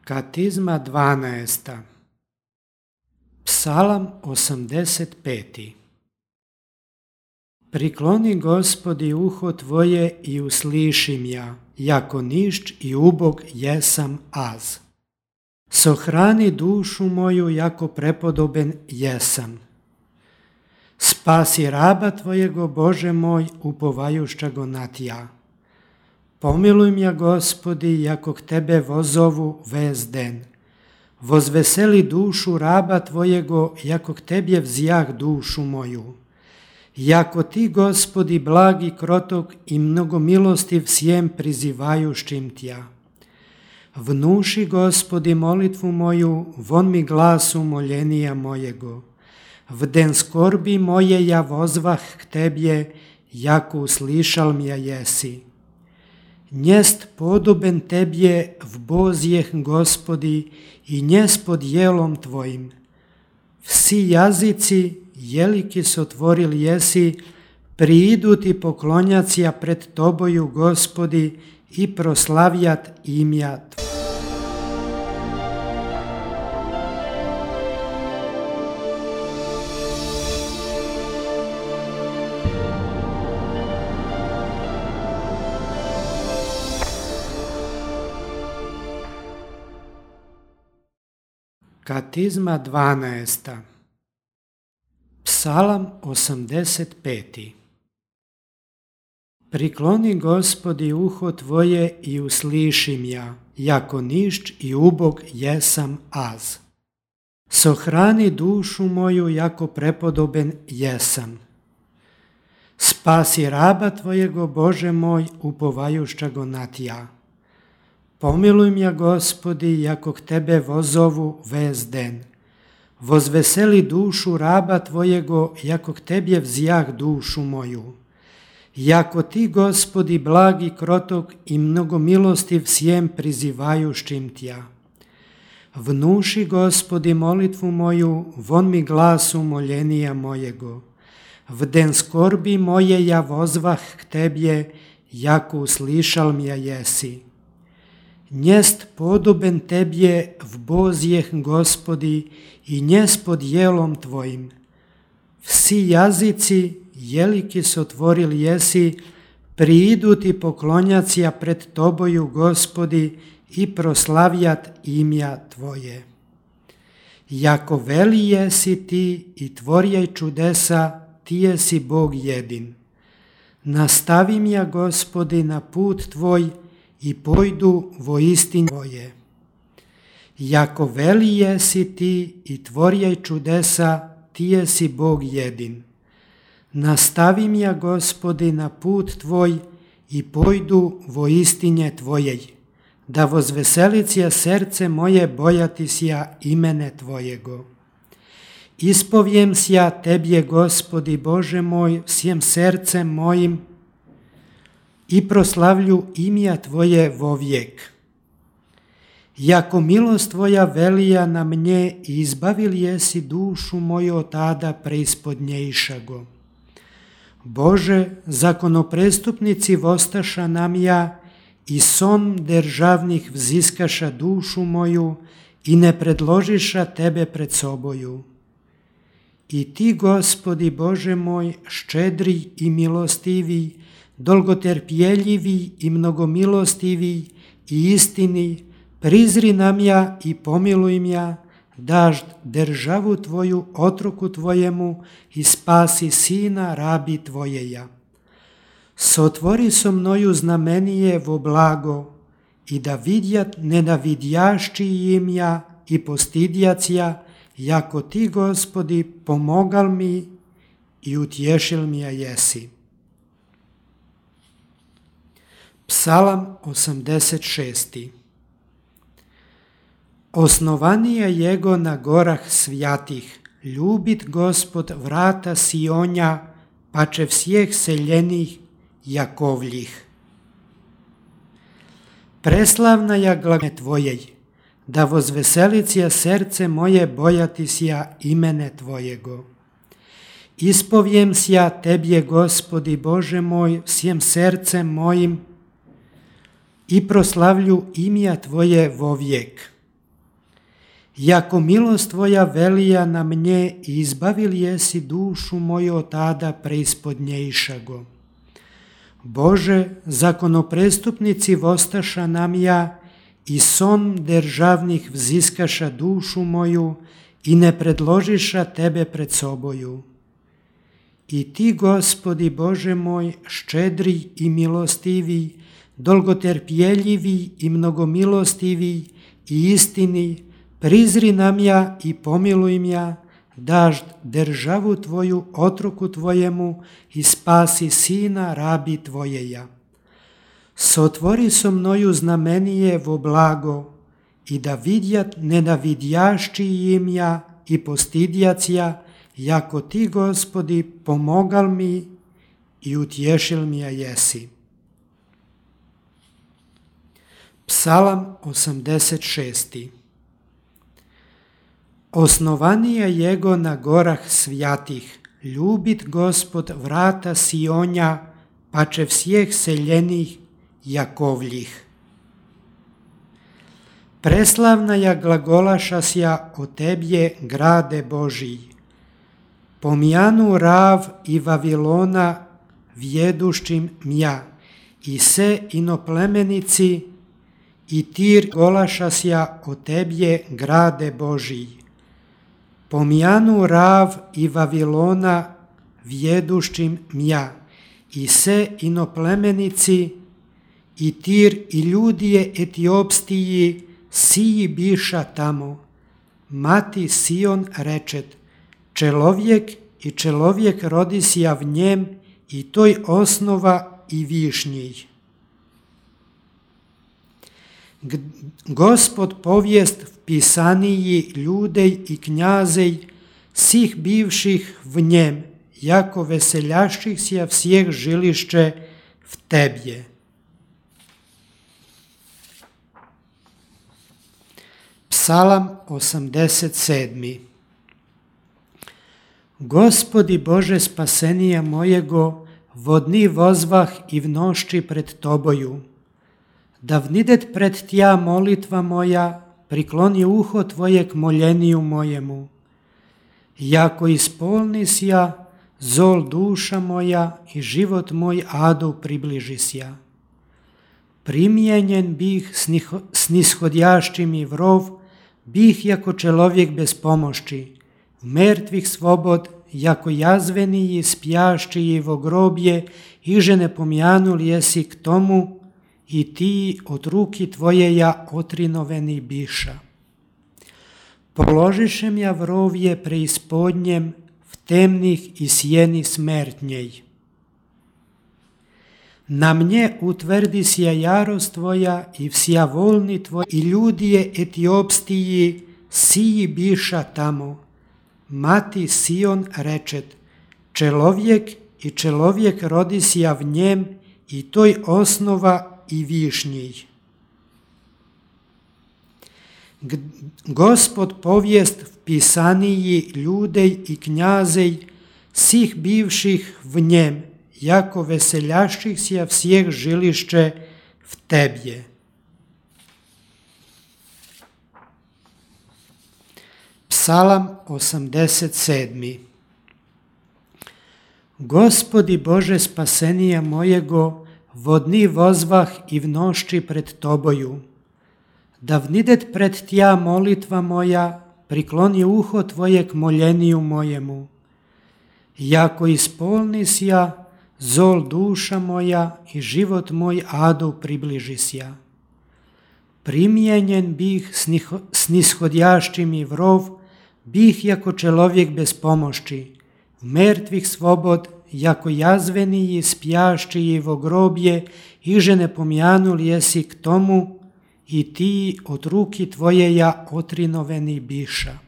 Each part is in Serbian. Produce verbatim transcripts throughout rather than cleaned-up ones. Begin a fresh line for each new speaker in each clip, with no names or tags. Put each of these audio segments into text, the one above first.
Katizma dvanaesta. Psalam osamdeset peti. Prikloni, Gospodi, uho Tvoje i uslišim ja, jako nišč i ubog jesam az. Sohrani dušu moju, jako prepodoben jesam. Spasi raba Tvojego, Bože moj, upovajušća go na Tja. Pomiluj mja, Gospodi, jako k Tebe vozovu vez den. Vozveseli dušu raba Tvojego, jako k Tebje vzjah dušu moju. Jako Ti, Gospodi, blagi, krotok i mnogomilostiv sjem prizivajušćim Tja. Vnuši, Gospodi, molitvu moju, von mi glasu moljenija mojego. V den skorbi moje ja vozvah k Tebje, jako uslišal mja jesi. Njest podoben Tebje v bozjeh, Gospodi, i njes pod jelom Tvojim. Vsi jazici, jeliki sotvoril jesi, priidu Ti poklonjacija pred Toboju, Gospodi, i proslavjat imja Tvoje. Katizma dvanaesta. Psalam osamdeset peti. Prikloni, Gospodi, uho Tvoje i uslišim ja, jako nišč i ubog jesam az. Sohrani dušu moju, jako prepodoben jesam. Spasi raba Tvojego, Bože moj, upovajušća go na Tja. Pomiluj mja, Gospodi, jako k Tebe vozovu vez den. Vozveseli dušu raba Tvojego, jako k Tebje vzjah dušu moju. Jako Ti, Gospodi, blagi, krotok i mnogomilostiv sjem prizivajušćim Tja. Vnuši, Gospodi, molitvu moju, von mi glasu moljenija mojego. V den skorbi moje ja vozvah k Tebje, jako uslišal mja jesi. Njest podoben Tebje v bozjeh, Gospodi, i njes pod jelom Tvojim. Vsi jazici, jeliki sotvoril jesi, priidu Ti poklonjacija pred Toboju, Gospodi, i proslavjat imja Tvoje. Jako veli jesi Ti i tvorjaj čudesa, Ti jesi Bog jedin. Nastavi mja, Gospodi, na put Tvoj, i pojdu vo istin Tvoje. Jako veli jesi Ti i tvorjaj čudesa, Ti jesi Bog jedin. Nastavi mja, Gospodi, na put Tvoj i pojdu vo istinje Tvojej, da vozveselicija srce moje bojati sja imene Tvojego. Ispovjem sja Tebje, Gospodi, Bože moj, sjem srcem mojim, i proslavlju imja Tvoje vovijek. Jako milost Tvoja velija na mnje, izbavil jesi dušu moju od tada preispodnjejšago. Bože, zakonoprestupnici vostaša nam ja, i son državnih vziskaša dušu moju, i ne predložiša Tebe pred soboju. I Ti, Gospodi, Bože moj, ščedri i milostivi, dolgoterpjeljivi i mnogomilostivi i istini, prizri nam ja i pomiluj mja, dažd državu Tvoju otroku Tvojemu i spasi sina rabi Tvojeja. Sotvori so mnoju znamenije vo blago i da vidjat nenavidjašći im ja i postidjacija, jako Ti, Gospodi, pomogal mi i utješil mi ja jesi. Psalam osamdeset šesti. Osnovanije jego na gorah svjatih, ljubit Gospod vrata Sionja, pače vsjeh seljenih Jakovljih. Preslavna ja glagme Tvojej, da vozveselicija srce moje bojati sja imene Tvojego. Ispovjem sja Tebje, Gospodi, Bože moj, sjem srcem mojim, i proslavlju imja Tvoje vovijek. Jako milost tvoja velija na mnje, izbavil jesi dušu moju od tada preispodnjejšago. Bože, zakonoprestupnici vostaša nam ja, i son državnih vziskaša dušu moju i ne predložiša tebe pred soboju. I ti, Gospodi Bože moj, ščedri i milostivi, dolgoterpjeljivi i mnogomilostivi i istini, prizri nam ja i pomiluj mja, daž državu tvoju otroku tvojemu i spasi sina rabi tvojeja. Sotvori so mnoju znamenije vo blago i da vidjat nenavidjašći im ja i postidjac ja, jako ti, Gospodi, pomogal mi i utješil mi ja jesi. Psalam osamdeset šest. Osnovanija jego na gorah svjatih, ljubit Gospod vrata Sionja, pače всех seljenih Jakovljih. Preslavna ja glagolašasja o tebje, grade Božij. Pomjanu Rav i Vavilona vjeduščim mja, i se inoplemenici, i Tir golašasja o tebje, grade Božij. Pomjanu Rav i Vavilona vjeduščim mja, i se inoplemenici, i Tir i ljudije Etiopstiji, siji biša tamo. Mati Sion rečet, čelovjek i čelovjek rodisja v njem, i toj osnova i višnjij. Gospod povijest v pisaniji ljudej i knjazej, sih bivših v njem, jako veseljašćih sja всех žilišće v tebje. Psalam osamdeset sedam. Gospodi Bože spasenija mojego, vodni vozvah i v nošči pred toboju. Da vnidet pred tja molitva moja, prikloni uho tvoje k moljeniju mojemu. Jako ispolnis ja, zol duša moja i život moj adu približisja. Primjenjen bih snishodjašći mi vrov, bih jako čelovjek bez pomoći, v mrtvih svobod, jako jazveniji spjašći vo grobje, iže ne pomjanul jesi k tomu, i ti od ruki tvojeja otrinoveni biša. Položišem ja vrovje preispodnjem, v temnih i sjeni smrtnjej. Na mnje utvrdi sja jarost tvoja i vsja volni tvoj, i ljudije Etiopstiji, siji biša tamo. Mati Sion rečet, čelovjek i čelovjek rodisja v njem, i toj osnova i višnjij. Gospod povijest v pisaniji ljudej i knjazej, sih bivših v njem, jako veseljašćih sja всех žilišće v tebje. Psalam osamdeset sedam. Gospodi Bože spasenija mojego, vodni vozvah i v nošči pred toboju. Da vnidet pred tja molitva moja, prikloni uho tvoje k moljeniju mojemu. Jako ispolnis ja, zol duša moja i život moj adu približisja. Primjenjen bih snishodjašći mi vrov, bih jako čelovjek bez pomoći, v mrtvih svobod, jako jazveniji spjašći vo grobje, iže ne pomjanul jesi k tomu, i ti od ruki tvojeja otrinoveni biša.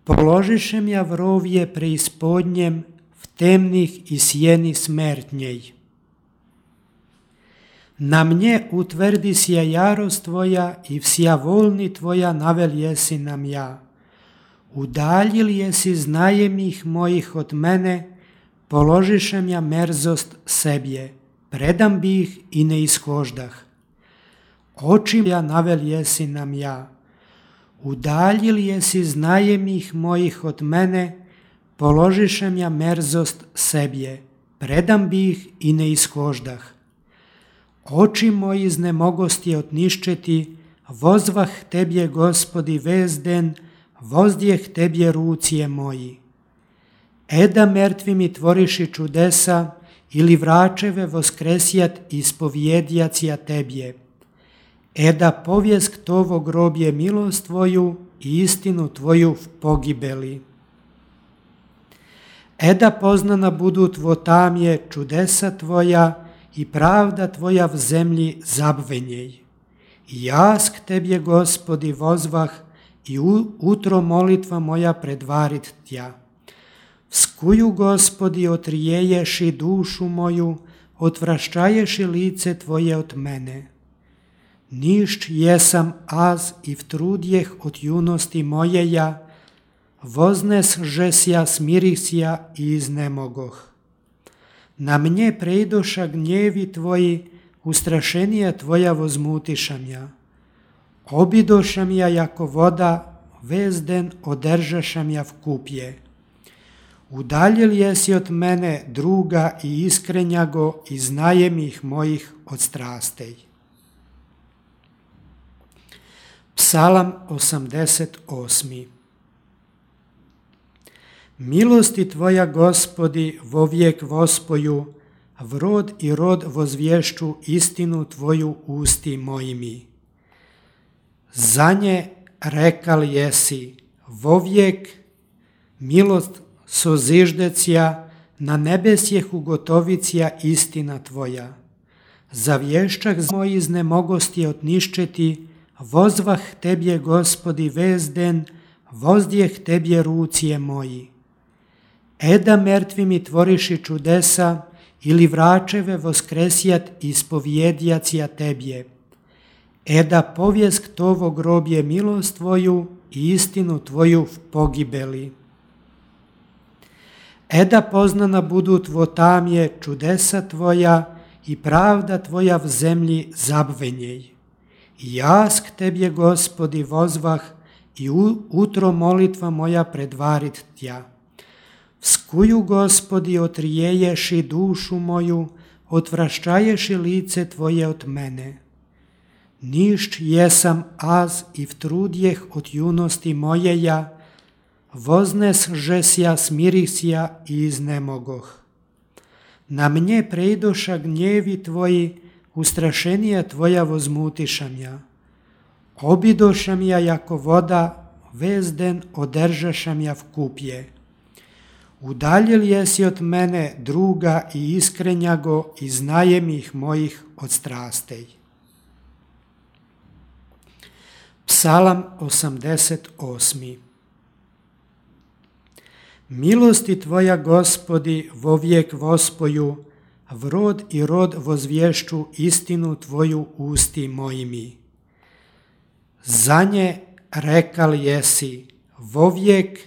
Položišem ja vrovje preispodnjem, v temnih i sjeni smrtnjej. Na mnje utvrdi sja jarost tvoja i vsja volni tvoja navel jesi nam ja. Udaljil jesi znajemih mojih od mene, položišem ja merzost sebje, predam bih i ne ishoždah. Očim ja navel jesi nam ja. Udaljili jesi znajemih mojih od mene, položišem ja merzost sebje, predam bi ih i ne ishoždah. Oči moji znemogosti otniščeti, vozvah tebje, Gospodi, vezden, vozdjeh tebje rucije moji. Eda mrtvi mi tvoriši čudesa, ili vračeve voskresjat ispovjedjacija tebje. Eda povjesk tovo grobje milost tvoju i istinu tvoju v pogibeli. Eda poznana budu tvo tamje čudesa tvoja i pravda tvoja v zemlji zabvenjej. I jas k tebje, Gospodi, vozvah i utro molitva moja predvarit tja. Vskuju, Gospodi, otrijeješi dušu moju, otvraščaješi lice tvoje od mene. Nišć jesam az i vtrudjeh od junosti mojeja, voznes žesja, smirisja i iznemogoh. Na mnje prejdoša gnjevi tvoji, ustrašenija tvoja vozmutišam ja. Obidošam ja jako voda, vezden održašam ja v kupje. Udaljil jesi od mene druga i iskrenjago i znajem ih mojih od strastej. Psalam osamdeset osmi. Milosti tvoja, Gospodi, vovijek vospoju, v rod i rod vozvješću istinu tvoju usti mojimi. Za nje rekal jesi, vovijek milost soziždecija, na nebesjeh ugotovicija istina tvoja. Za vješćak moji znemogosti otniščeti, vozvah tebje, Gospodi, vezden, vozdjeh tebje rucije moji. Eda mrtvi mi tvoriši čudesa, ili vračeve voskresjat ispovjedjacija tebje. Eda povjesk tovo grobje milost tvoju i istinu tvoju v pogibeli. Eda poznana budu tvo tamje čudesa tvoja i pravda tvoja v zemlji zabvenjej. I jas k tebje, Gospodi, vozvah i utro molitva moja predvarit tja. Vskuju, Gospodi, otrijeješi dušu moju, otvraščaješi lice tvoje od mene. Nišć jesam az i vtrudjeh od junosti mojeja, voznes žesja, smirisja i iznemogoh. Na mnje prejdoša gnjevi tvoji, ustrašenija tvoja vozmutišam ja. Obidošam ja jako voda, vezden održašam ja v kupje. Udaljil jesi od mene druga i iskrenjago i znajem ih mojih od strastej. Psalam osamdeset osmi. Milosti tvoja, Gospodi, vovijek vospoju, v rod i rod vozvješću istinu tvoju usti mojimi. Za nje rekal jesi, vovijek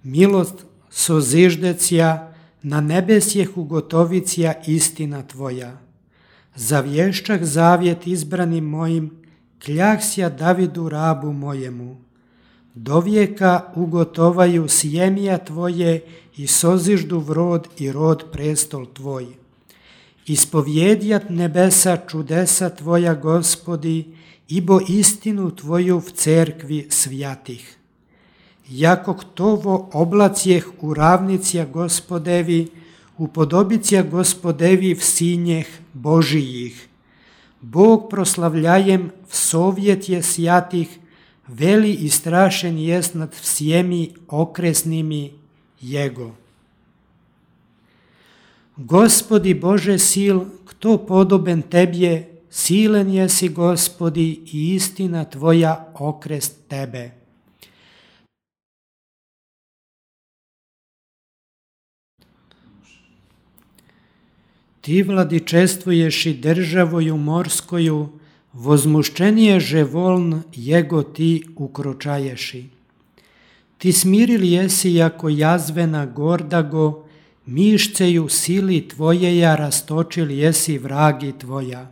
milost soziždecija, na nebesjeh ugotovicija istina tvoja. Za vješćak zavjet izbranim mojim, kljahsja Davidu rabu mojemu. Do vijeka ugotovaju sjemija tvoje i soziždu v rod i rod prestol tvoj. Ispovjedjat nebesa čudesa tvoja, Gospodi, ibo istinu tvoju v cerkvi svjatih. Jakog tovo oblacijeh u ravnicija Gospodevi, upodobicija Gospodevi v sinjeh Božijih. Bog proslavljajem v sovjetje sjatih, veli i strašen jest nad всеми okresnimi Jego. Gospodi Bože sil, kto podoben tebje, silen jesi, Gospodi, i istina tvoja okrest tebe. Ti vladičestvuješ i državoju morskoju, возмущение же волн его ти укрочаеши. Ti smirili jesi jako jazvena gordago, mišceju sili tvojeja rastočili jesi vragi tvoja.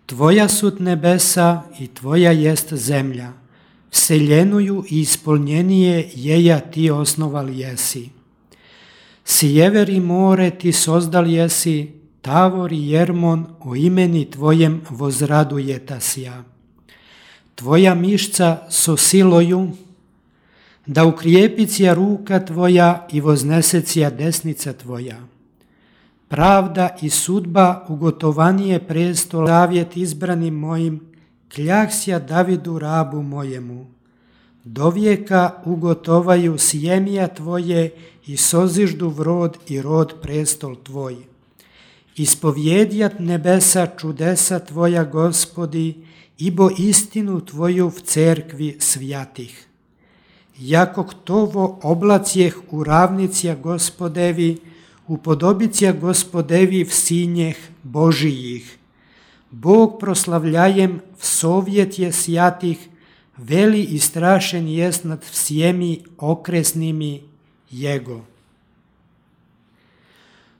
Tvoja sut nebesa i tvoja jest zemlja. vseljenuju i ispolnjenije jeja ti osnovali jesi. Sjever i more ti sozdal jesi, Tavor i Jermon o imeni tvojem vozradujetasja. Tvoja mišca so siloju, da ukrijepicija ruka tvoja i voznesecija desnica tvoja. Pravda i sudba ugotovanije prestol, zavjet izbranim mojim, kljaksja Davidu rabu mojemu. Do vijeka ugotovaju sjemija tvoje i soziždu vrod i rod prestol tvoj. Ispovjedjat nebesa čudesa tvoja, Gospodi, ibo istinu tvoju v cerkvi svjatih. Jakog tovo oblacijeh u ravnicija Gospodevi, upodobicija Gospodevi v sinjeh Božijih. Bog proslavljajem v sovjet je sjatih, veli i strašen jest nad всеми okresnimi Jego.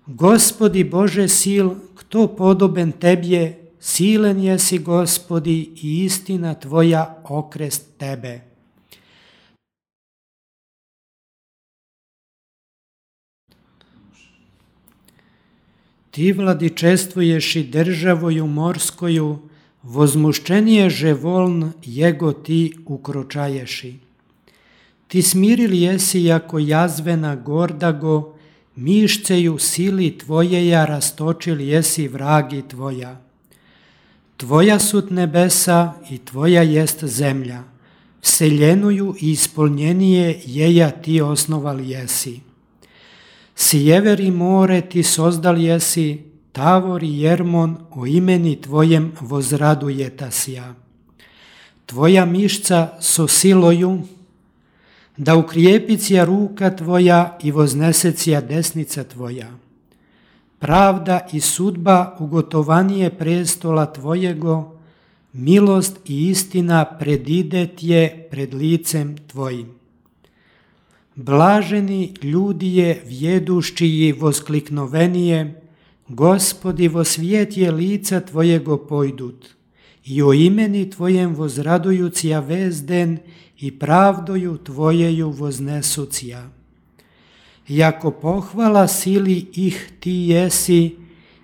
Gospodi Bože sil, kto podoben Tebje, silen jesi Gospodi i istina Tvoja okrest Tebe. Ti vladičestvuješ i državoju morskoju, возмущение же волн Его ти укрочаеши. Ti smirili jesi jako jazvena gordago, mišceju sili tvojeja rastočili jesi vragi tvoja. Tvoja sut nebesa i tvoja jest zemlja, vseljenuju i ispolnjenije jeja ti osnovali jesi. Sjever i more ti sozdal jesi, Tavor i Jermon o imeni tvojem vozradujetasja. Tvoja mišca so siloju, da ukrijepicija ruka tvoja i voznesecija desnica tvoja. Pravda i sudba ugotovanije prestola tvojego, milost i istina predidet je pred licem tvojim. Blaženi ljudi je vjeduščiji voskliknovenije, Gospodi vo svijet je lica tvojego pojdut, i o imeni tvojem vozradujucija vezden i pravdoju tvojeju voznesucija. Jako pohvala sili ih ti jesi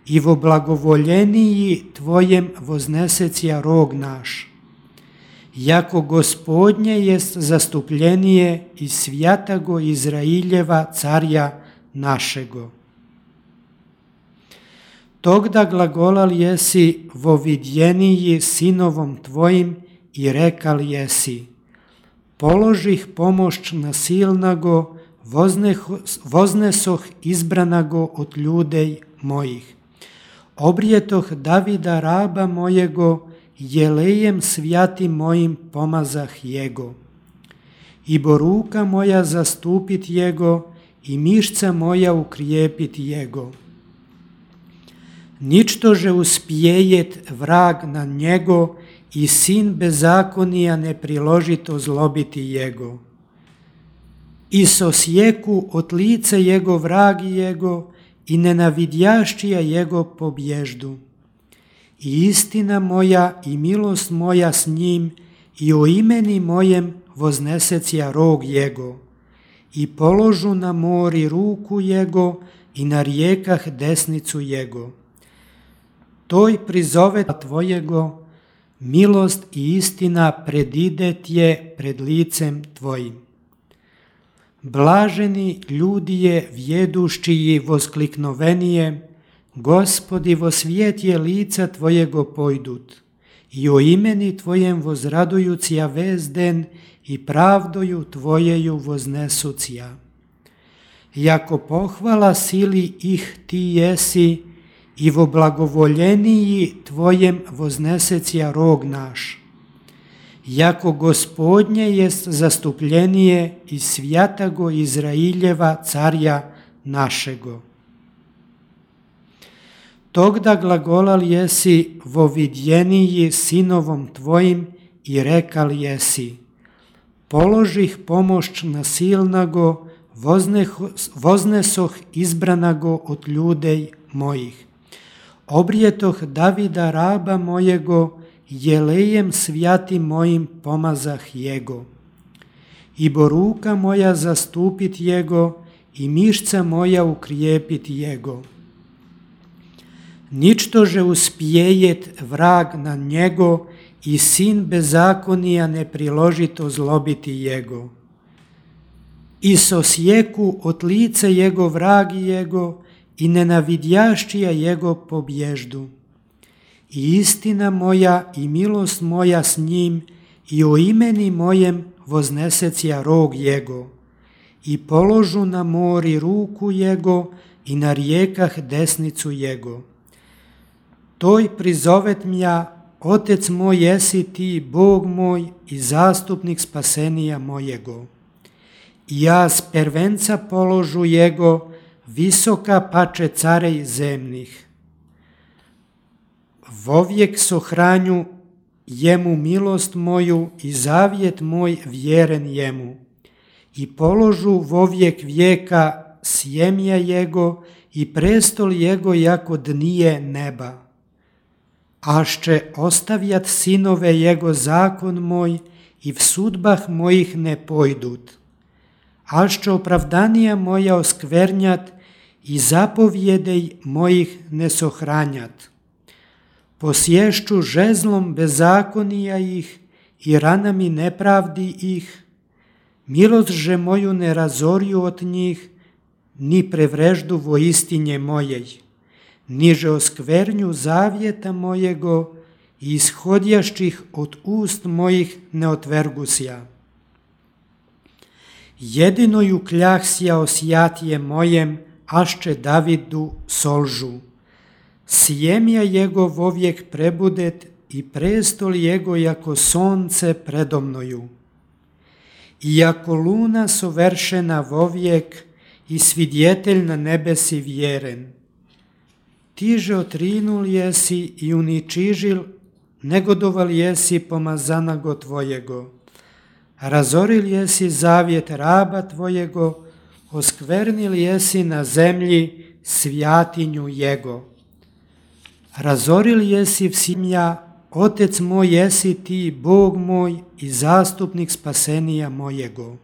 i vo blagovoljeniji tvojem voznesecija rog naš. Jako Gospodnje jest zastupljenije i svjatago Izrailjeva carja našego. Тогда глаголал jesi vo vidjeniji sinovom tvojim i rekal jesi, položih pomoć nasilnago, voznesoh izbranago od ljudej mojih. Obrijetoh Davida raba mojego, jelejem svjatim mojim pomazah jego. Ibo ruka moja zastupit jego i mišca moja ukrijepit jego. Ničto že uspjejet vrag na njego i sin bezakonija ne priložito zlobiti jego. I sosjeku od lice jego vragi jego i nenavidjašćija jego pobježdu. I istina moja i milost moja s njim i o imeni mojem voznesecija rog jego. I položu na mori ruku jego i na rijekah desnicu jego. Toj prizove tvojego, milost i istina predidet je pred licem tvojim. Blaženi ljudi je vjeduščiji voskliknovenije, Gospodi vo svijet je lica tvojego pojdut, i o imeni tvojem vozradujucija vezden i pravdoju tvojeju voznesucija. Jako pohvala sili ih ti jesi, i vo blagovoljeniji tvojem voznesecija rog naš. Jako Gospodnje jest zastupljenije i svjatago Izrailjeva carja našego. Тогда глаголал jesi vo vidjeniji sinovom tvojim i rekal jesi, položih pomoć nasilnago, voznesoh izbranago od ljudej mojih. Obrijetoh Davida raba mojego, jelejem svjatim mojim pomazah jego. I bo ruka moja zastupit jego, i mišca moja ukrijepit jego. Ničtože uspjejet vrag na njego, i sin bezakonija ne priložit ozlobiti jego. I sosjeku od lice jego vragi jego, i nenavidjašćija jego pobježdu. I istina moja i milost moja s njim, i o imeni mojem voznesecija rog jego. I položu na mori ruku jego, i na rijekah desnicu jego. Toj prizovet mja, Otec moj jesi ti, Bog moj i zastupnik spasenija mojego. I ja s prvenca položu jego, visoka pače carej zemnih. Vovijek sohranju jemu milost moju i zavjet moj vjeren jemu. I položu vovijek vijeka sjemja jego i prestol jego jako dnije neba. Ašće ostavjat sinove jego zakon moj i v sudbah mojih ne pojdut. Ašće opravdanija moja oskvernjat i zapovjedej mojih ne sohranjat. Posješću žezlom bezakonija ih i ranami nepravdi ih, milost že moju ne razorju od njih, ni prevreždu voistinje mojej, niže oskvernju zavjeta mojego i ishodjašćih od ust mojih ne otvergusja. Jedinoju kljahsja osjatije mojem, ašće Davidu solžu. Sjemja jego vovijek prebudet i prestol jego jako sonce predomnoju. Iako luna soveršena vovijek i svidjetelj na nebesi vjeren. Tiže otrinul jesi i uničižil, negodoval jesi pomazanago tvojego. Razoril jesi zavjet raba tvojego, oskvernil jesi na zemlji svjatinju jego. Razoril jesi vsimja, Otec moj jesi ti, Bog moj i zastupnik spasenija mojego.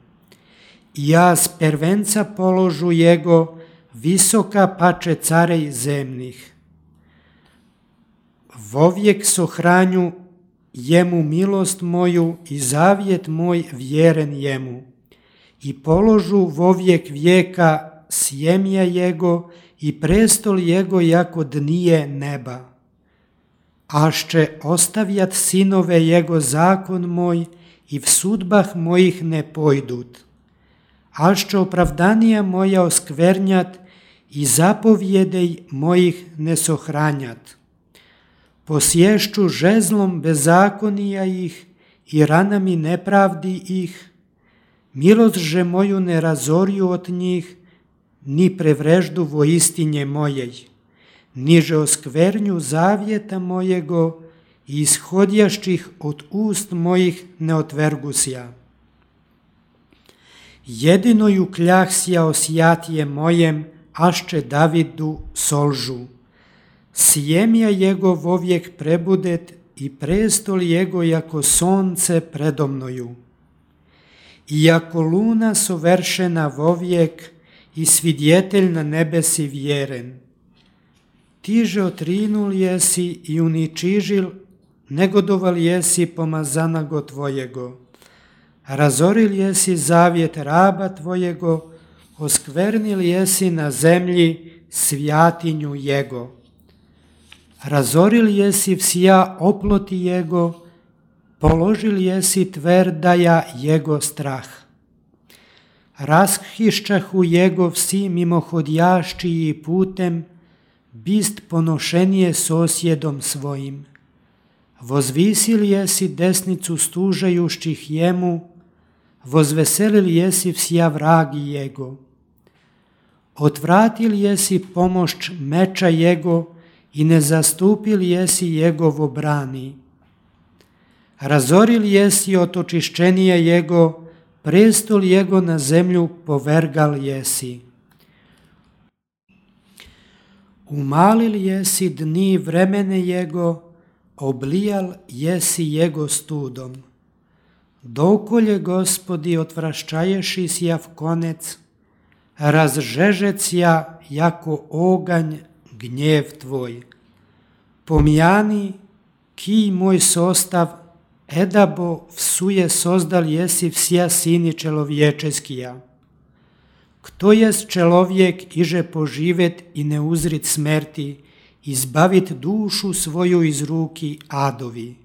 I ja s prvenca položu jego, visoka pače carej zemnih. Vovijek sohranju jemu milost moju i zavjet moj vjeren jemu. I položu vovijek vijeka sjemja jego i prestol jego jako dnije neba. Ašće ostavjat sinove jego zakon moj i v sudbah mojih ne pojdut. Ašće opravdanija moja oskvernjat i zapovjedej mojih ne sohranjat. Posješću žezlom bezakonija ih i ranami nepravdi ih, milost že moju ne razorju od njih, ni prevreždu voistinje mojej, niže oskvernju zavjeta mojego i ishodjašćih od ust mojih ne otvergusja. Jedinoju kljahsja osjatije mojem, ašće Davidu solžu. Sjemja jego vovijek prebudet i prestol jego jako sonce predomnoju. Iako luna soveršena vovijek i svidjetelj na nebesi vjeren. Tiže otrinul jesi i uničižil, negodoval jesi pomazanago tvojego. Razoril jesi zavjet raba tvojego, oskvernil jesi na zemlji svjatinju jego. Razoril jesi vsija oploti jego, položil jesi tverdaja jego strah. Rashišćahu jego vsi mimohodjaščiji putem, bist ponošenije sosjedom svojim. Vozvisil jesi desnicu stužajušćih jemu, vozveselil jesi vsija vragi jego. Otvratil jesi pomošć meča jego i ne zastupil jesi jegovo brani. Razoril jesi otočišćenije jego, prestol jego na zemlju povergal jesi. Umalil jesi dni vremene jego, oblijal jesi jego studom. Dokolje, Gospodi, otvrščaješi sjav konec, razžežec ja jako oganj gnjev tvoj. Pomjani kij moj sostav, edabo vsuje sozdal jesi vsja sini čelovječeskija. Kto jest čelovjek iže poživet i ne uzrit smerti, izbavit dušu svoju iz ruki adovi.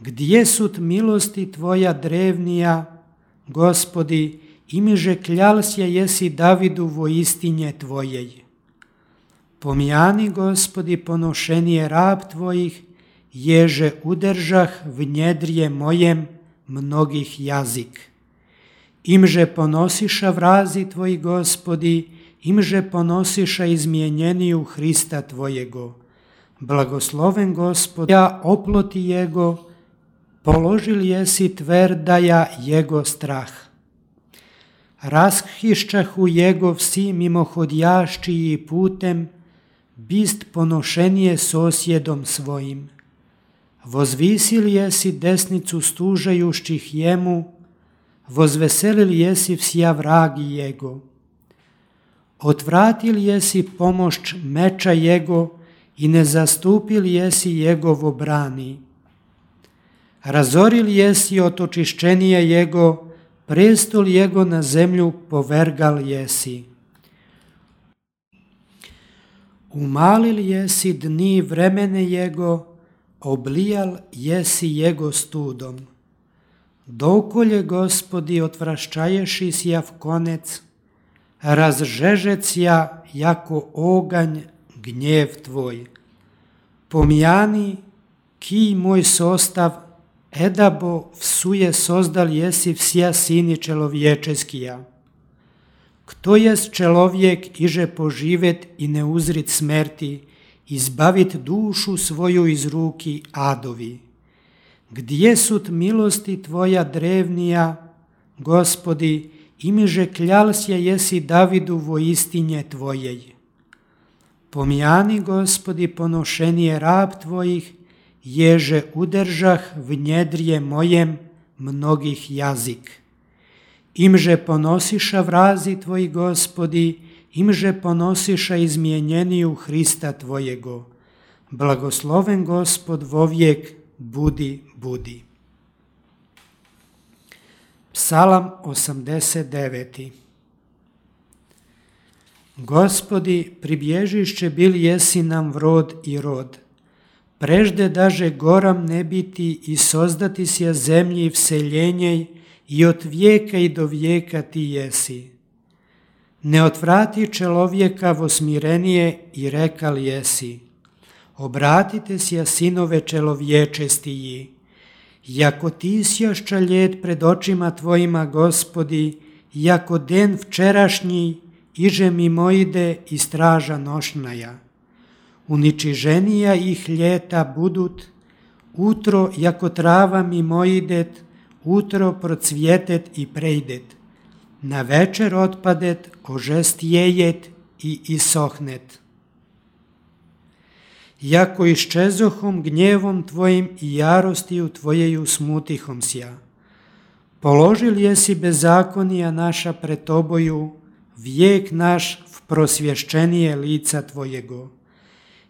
Gdje sut milosti tvoja drevnija, Gospodi, imiže kljalsja jesi Davidu vo istinje tvojej. Pomjani, Gospodi, ponošenije rab tvojih, ježe udržah v njedrje mojem mnogih jazik. Imže ponosiša vrazi tvoji, Gospodi, imže ponosiša izmjenjeniju Hrista tvojego. Blagosloven Gospod, ja oploti jego, položil jesi tverdaja jego strah. Raskhiščahu jego vsi mimohodjaščiji putem, bist ponošenije sosjedom svojim. Vozvisil jesi desnicu stužajušćih jemu, vozveselil jesi vsja vragi jego. Otvratil jesi pomošć meča jego i ne zastupil jesi jegovo brani. Razoril jesi otočišćenije jego, prestol jego na zemlju povergal jesi. Umalil jesi dni vremene jego, oblijal jesi jego studom. Dokolje, Gospodi, otvrščaješi sjav konec, razžežec ja jako oganj gnjev tvoj. Pomjani kij moj sostav, edabo vsuje sozdal jesi vsja sini čelovječeskija. Kto jest čelovjek iže poživet i ne uzrit smerti, izbavit dušu svoju iz ruki adovi. Gdje sut milosti tvoja drevnija, Gospodi, imiže kljalsja jesi Davidu vo istinje tvojej. Pomjani, Gospodi, ponošenije rab tvojih, ježe udržah v njedrje mojem mnogih jazik. Imže ponosiša vrazi tvoji, Gospodi, imže ponosiša izmjenjeniju Hrista tvojego. Blagosloven Gospod vovijek, budi, budi. Psalam osamdeset deveti. Gospodi, pribježišće bil jesi nam vrod i rod. Prežde daže goram ne biti i sozdati sja zemlji vseljenjej i od vijeka i do vijeka ti jesi. Ne otvrati čelovjeka vo smirenije i rekal jesi. Obratite sja sinove čelovječestiji. Jako ti sjašća ljet pred očima tvojima, Gospodi, jako den včerašnji, iže mimo ide i straža nošnaja. Uničiženija ih ljeta budut, utro jako trava mimo idet, utro procvjetet i prejdet. Na večer otpadet, ožestjejet i isohnet. Jako iščezohom gnjevom tvojim i jarostiju tvojeju smutihom sja. Položil jesi bezakonija naša pred toboju, vijek naš v prosvješćenije lica tvojego.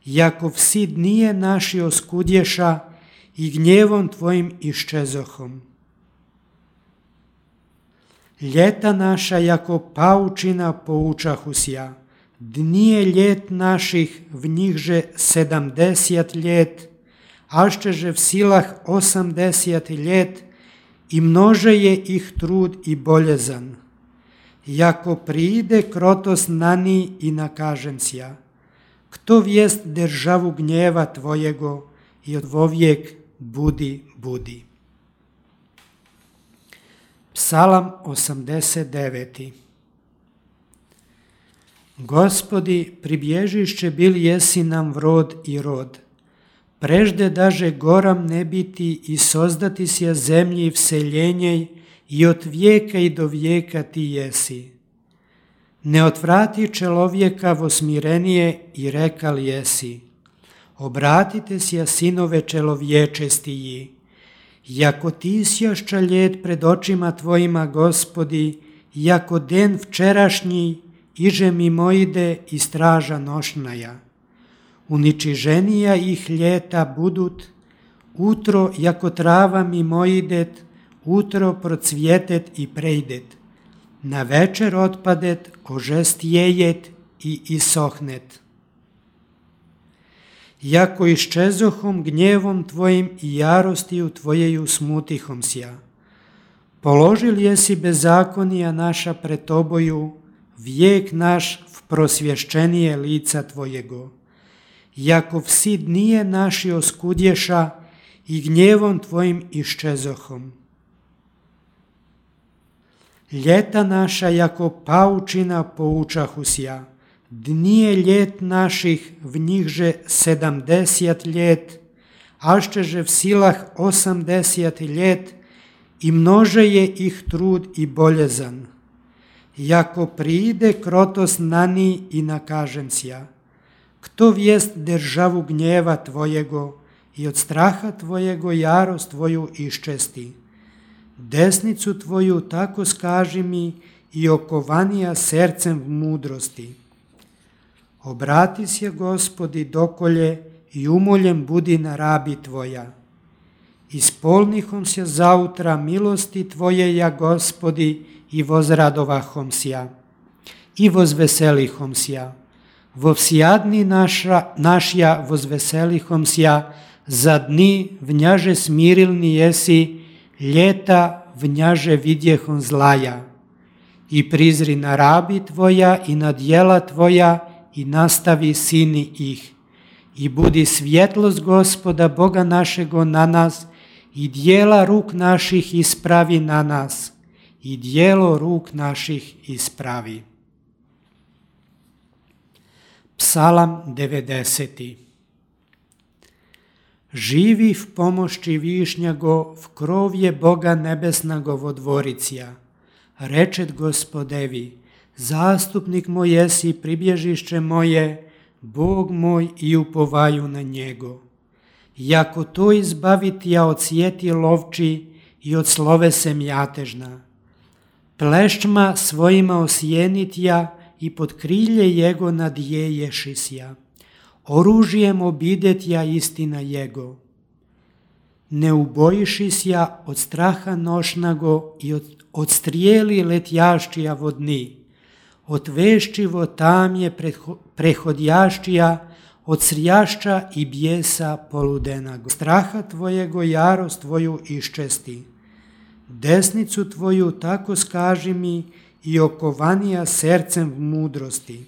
Jako vsi dnije naši oskudješa i gnjevom tvojim iščezohom. Ljeta naša jako paučina poučahu sja. Dnije ljet naših v njihže sedamdeset ljet, ašteže v silah osamdeset ljet i množe je ih trud i boljezan. Jako pride krotos nani i nakažen sja. Kto vijest državu gnjeva tvojego i od vovijek budi, budi. Psalam osamdeset deveti. Gospodi, pribježišće bil jesi nam vrod i rod. Prežde daže goram ne biti i sozdati sja zemlji vseljenjej i od vijeka i do vijeka ti jesi. Ne otvrati čelovjeka vo smirenije i rekal jesi. Obratite sja sinove čelovječestiji. Jako ti sjašća ljet pred očima tvojima, Gospodi, jako den včerašnji, iže mimo ide i straža nošnaja. Uničiženija ih ljeta budut, utro jako trava mimo idet, utro procvjetet i prejdet. Na večer otpadet, ožestjejet i isohnet. Jako iščezohom gnjevom tvojim i jarostiju tvojeju smutihom sja. Položil jesi bezakonija naša pred toboju, vijek naš v prosvješćenije lica tvojego. Jako vsi dnije naši oskudješa i gnjevom tvojim iščezohom. Ljeta naša jako paučina poučahusja, dnije ljet naših v njihže sedamdeset ljet, ašteže v silah osamdeset ljet, i množe je ih trud i boljezan. Jako pride krotos nani i nakažem sja, kto vijest državu gnjeva tvojego i od straha tvojego jarost tvoju iščesti. Desnicu tvoju tako skaži mi i okovanija sercem v mudrosti. Obrati se, Gospodi, dokolje i umoljem budi na rabi tvoja. Ispolnihom se zautra milosti tvoje, ja, Gospodi, i vozradovahom sja, i vozveselihom sja. Vo vsjadni naša, našja vozveselihom sja, za dni vnjaže smirilni jesi, ljeta vnjaže vidjehom zlaja. I prizri na rabi tvoja i na djela tvoja i nastavi sini ih. I budi svjetlost Gospoda Boga našego na nas i djela ruk naših ispravi na nas i djelo ruk naših ispravi. Psalam devedeseti. Živi v pomošći višnjago, v krovje Boga nebesnago vodvoricija. Rečet Gospodevi, zastupnik moj jesi, pribježišće moje, Bog moj, i upovaju na njego. Jako to izbaviti ja od sjeti lovči i od slovese mjatežna. Plešćma svojima osjenit ja i pod krilje jego nadjeješisja. Oružijem obidet ja istina jego. Ne ubojišis ja od straha nošnago i od, od strijeli letjaščija vodni. Od veščivo tamje prehodjaščija, od srjašča i bijesa poludenago. Straha tvojego jarost tvoju iščesti. Desnicu tvoju tako skaži mi i okovanija sercem v mudrosti.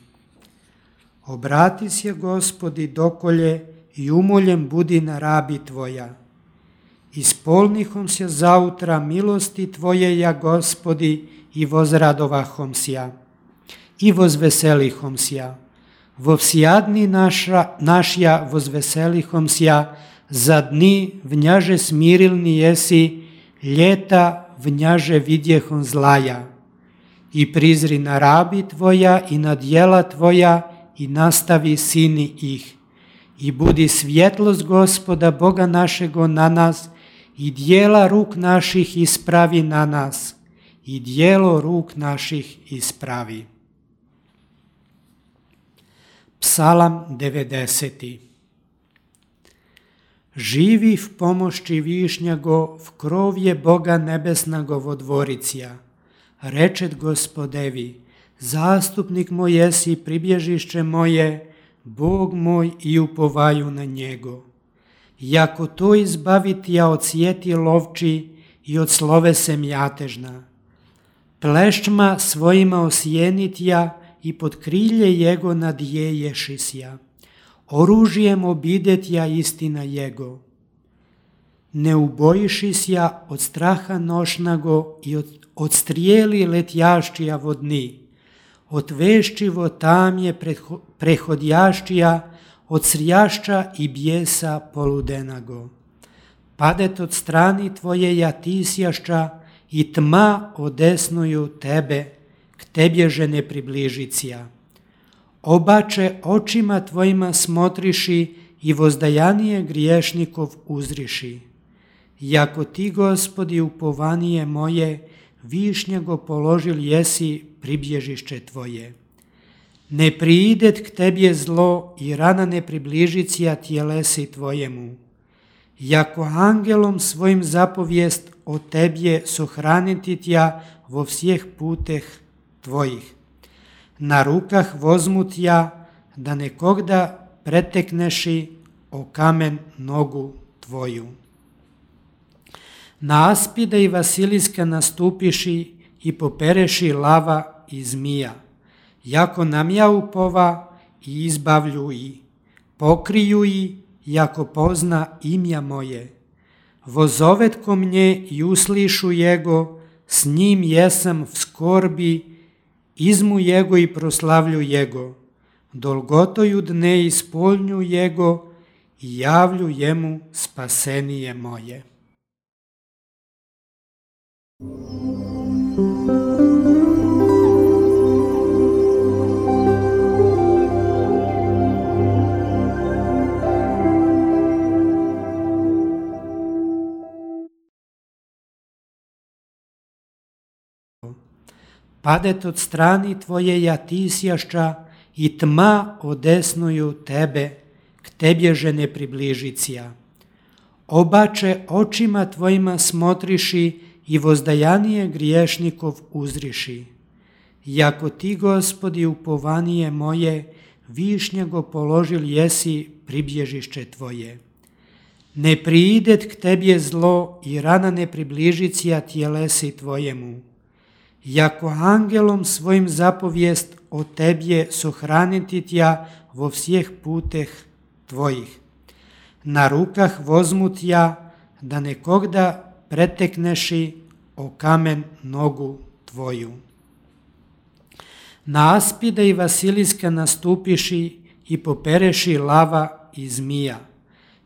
Obrati se, Gospodi, dokolje i umoljem budi na rabi tvoja. Ispolnihom se zautra milosti tvoje, ja, Gospodi, i vozradovahom sja, i vozveselihom sja. Vo vsjadni naša, našja vozveselihom sja, za dni vnjaže smirilni jesi, ljeta vnjaže vidjehom zlaja. I prizri na rabi tvoja i na djela tvoja i nastavi sini ih. I budi svjetlost Gospoda Boga našego na nas i djela ruk naših ispravi na nas i djelo ruk naših ispravi. Psalam devedeseti. Živi v pomošći višnjago, v krovje Boga nebesnago vodvoricija. Rečet Gospodevi, zastupnik moj jesi, pribježišće moje, Bog moj, i upovaju na njego. Jako to izbaviti ja od sjeti lovči i od slovese mjatežna. Plešćma svojima osjenit ja i pod krilje jego nadjeješis ja. Oružijem obidet ja istina jego. Ne ubojišis ja od straha nošnago i od, od strijeli letjaščija vodni. Od veščivo tamje prehodjaščija, od srjašča i bijesa poludenago. Padet od strani tvoje ja tisjašča i tma odesnuju tebe, k tebježe ne približicija. Obače očima tvojima smotriši i vozdajanije griješnikov uzriši. Jako ti, Gospodi, upovanije moje, višnjego položil jesi pribježišće tvoje. Ne priidet k tebje zlo i rana ne približicija tjelesi tvojemu. Jako angelom svojim zapovijest o tebje sohraniti tja vo vseh puteh tvojih. Na rukah vozmut ja, da nekogda pretekneši o kamen nogu tvoju. Na aspida i vasiliska nastupiši i popereši lava i zmija. Jako namja upova i izbavlju i, pokriju i, jako pozna imja moje. Vozovet ko mnje i uslišu jego, s njim jesam v skorbi, izmu jego i proslavlju jego. Dolgotoju dne ispolnju jego i javlju jemu spasenije moje. Padet od strani tvoje jatisjašća i tma odesnuju tebe, k tebježe ne približicija. Obače očima tvojima smotriši i vozdajanije griješnikov uzriši. Jako ti, Gospodi, upovanije moje, višnjego položil jesi pribježišće tvoje. Ne priidet k tebje zlo i rana ne približicija tjelesi tvojemu. Jako angelom svojim zapovijest o tebje sohraniti tja vo vseh puteh tvojih. Na rukah vozmut ja, da nekogda pretekneši o kamen nogu tvoju. Na aspida i vasiliska nastupiši i popereši lava i zmija.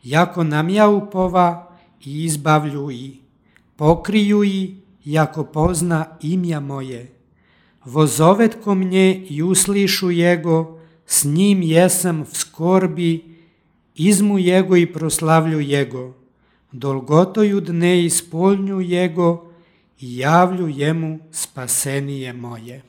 Jako namja upova i izbavlju i, pokriju i, jako pozna imja moje. Vozovet ko mnje i uslišu jego, s njim jesam v skorbi, izmu jego i proslavlju jego. Dolgotoju dne ispolnju jego i javlju jemu spasenije moje.